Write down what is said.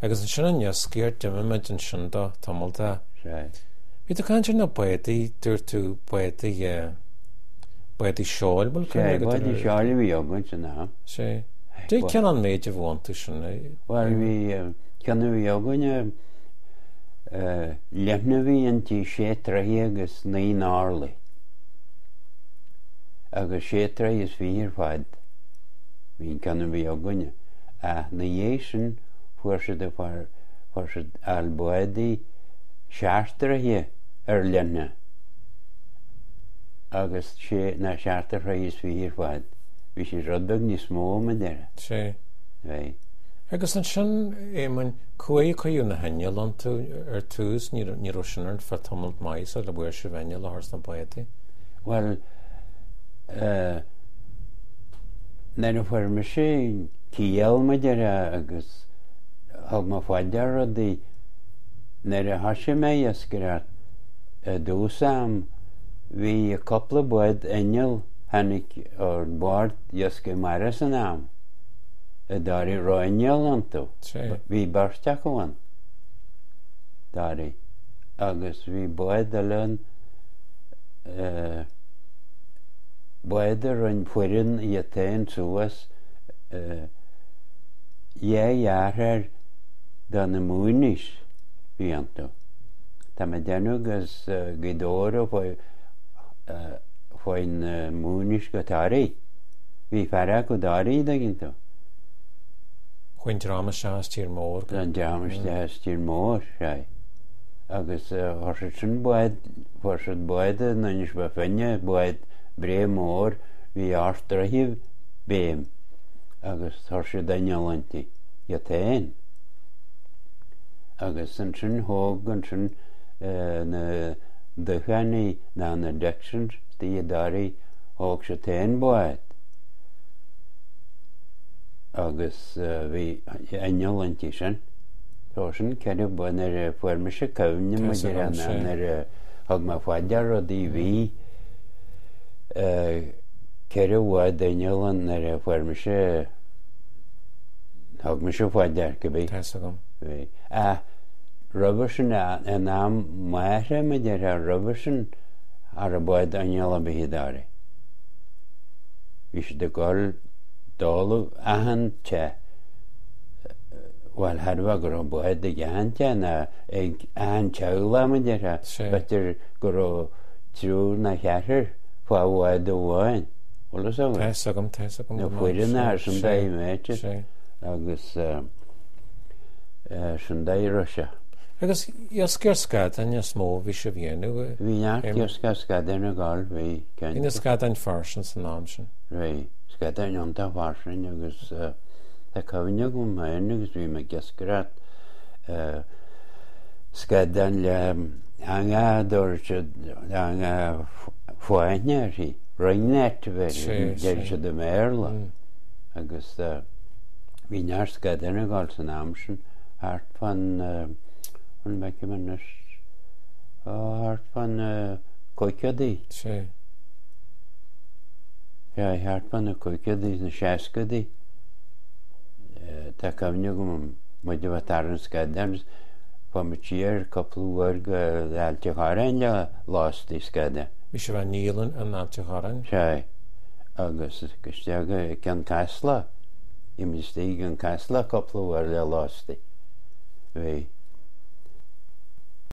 Agus ansin an iascaireacht, d'imigh muid ansin do tamall de. Sea. Bhí tú ag caint ar na bádaí, dúirt tú bádaí, bádaí seoil, bhfuil cuimhne agat ar. Sea, bádaí seoil a bhí againn san am. Sea. Dé cén an méid a bhí iontu sin? Bhuel, bhí, ceann a bhí againn, leithne a bhí inti, sé troithe agus naoi n-orlaí. Agus sé troithe is fiche ar fad. Bhí an ceann a bhí againne. Ach 'na dhiaidh sin fuair siad a fuair siad fháil bádaí seacht dtroithe ar leithne agus sé ná seacht troithe is fiche ar fad. Bhí siad rud beag níos mó, mar a déarfá. Sea. Bhí. Agus ansin, Éamoinn, cá huair a cuireadh na hinnill iontu ar tús, ní raibh sin ar feadh tamall maith sula bhfuair sibh inneall a chur sna bádaí. Bhuel, eh, Nuair a fuair mise ciall, mar a déarfá, agus thug mé fá dear rudaí, nuair a thoisigh mé ag iascaireacht i dtús am, bhí cúpla bád inneall tháinig ar bord iascaigh mara san am, i dToraí, raibh inneall iontu. Bhí beirt acu ann, Toraí, agus bhí bád eile ann, eh, Bád a rinn foireann iad féin suas dhá dheartháir do na Mooneys bhí iontu. Tá mé ag déanamh as Gaoth Dobhair ó chuaigh na Mooneys go Toraigh. Bhí fear acu i dToraigh, an dtuigeann tú. Chuaigh an dream isteach as tír mór go. An dream isteach as tír mór, sea. Agus chuir siad sin bád, fuair siad bád in Inis Bó Finne, bád breá mór, bhí ocht dtroithe béim agus chuir siad inneall inti, iad féin. Agus ansin thóg ansin na Dubhchánaigh ná na Dixons istigh i dToraigh, thóg siad féin bád. Agus bhí inneall inti sin. Tá sin ceithre ba nuair a fuair mise cuimhne Tá 'fhios maidir agam, ná sea. nuair a thug mé fá dear rudaí bhí ceithre bhád inneall ann nuair a fuair mise thug mise fá dear cibé. Tá 'fhios agam. Bhí. Ach roimhe sin in am m'athar mar a déarfá roimhe sin cha raibh bád inneall ar bith i dToraigh. Bhí siad ag dul dtólamh achan teach. Bhuel, thairbhe go raibh bád ag achan teach ná ag achan teaghlach, mar a déarfá. B'fhéidir go raibh triúr ná ceathrar fá bhád amháin. Bhfuil fhios agat? Tá fhios agam, tá fhios agam Na go maith. foireann ar sin Sea, dóigh mate. sea. Agus sin dóigh a raibh sé. Agus iascaireacht scadáin is mó a bhí sibh a dhéanamh? Bhí neart iascaireacht scadáin ag dul, bhí, Bhí na cinnte. scadáin fairsing san am sin. Bhí, scadáin iontach fairsing agus Tá cuimhne agam féin agus bhí mé ag iascaireacht scadán le eangach a dtabharfadh siad eangach fáithne uirthi, ring net a bheir, deir siad i mBéarla. Agus bhí neart scadán ag dul san am sin thart fán, an bhfeicim anois, thart fán caogaidí. Sea. Sea, thart fá na caogaidí, na seascaidí. Tá cuimhne agam muid a bheith ag tarraingt scadán agus chuaigh muid siar cúpla uair go Ailt a' Chorráin le lasta scadán. Bhí sibh á ndíol in Ailt a' Chorráin? Sea, agus isteach i gCionn Caslach. Bhí muid istigh i gCionn Caslach cúpla uair le lasta.